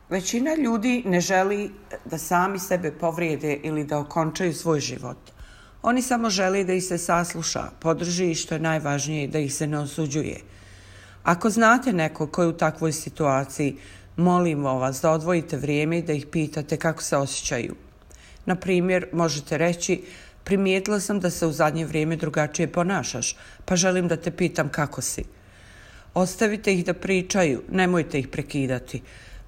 Većina ljudi ne želi da sami sebe povrijede ili da okončaju svoj život. Oni samo žele da ih se sasluša, podrži i što je najvažnije da ih se ne osuđuje. Ako znate nekog ko je u takvoj situaciji, molimo vas da odvojite vrijeme i da ih pitate kako se osjećaju. Na primjer, možete reći: primijetila sam da se u zadnje vrijeme drugačije ponašaš, pa želim da te pitam kako si. Ostavite ih da pričaju, nemojte ih prekidati.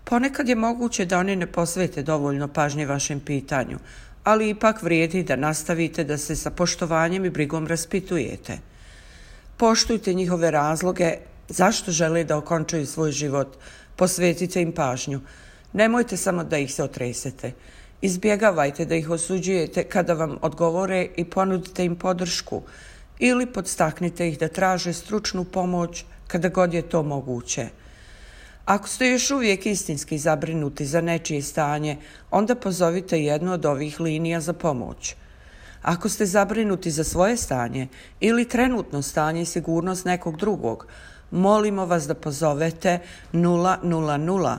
Ponekad je moguće da oni ne posvete dovoljno pažnje vašem pitanju, ali ipak vrijedi da nastavite da se sa poštovanjem i brigom raspitujete. Poštujte njihove razloge zašto žele da okončaju svoj život, posvetite im pažnju. Nemojte samo da ih se otresete. Izbjegavajte da ih osuđujete kada vam odgovore i ponudite im podršku ili podstaknite ih da traže stručnu pomoć kada god je to moguće. Ako ste još uvijek istinski zabrinuti za nečije stanje, onda pozovite jednu od ovih linija za pomoć. Ako ste zabrinuti za svoje stanje ili trenutno stanje i sigurnost nekog drugog, molimo vas da pozovete 000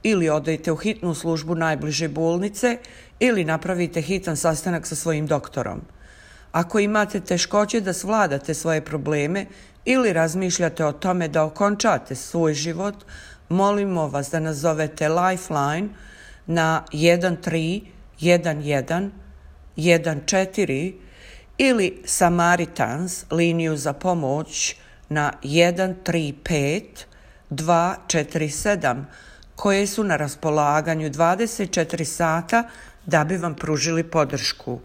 ili odete u hitnu službu najbliže bolnice ili napravite hitan sastanak sa svojim doktorom. Ako imate teškoće da svladate svoje probleme ili razmišljate o tome da okončate svoj život, molimo vas da nazovete Lifeline na 131114 ili Samaritans liniju za pomoć na 135247 koje su na raspolaganju 24 sata da bi vam pružili podršku.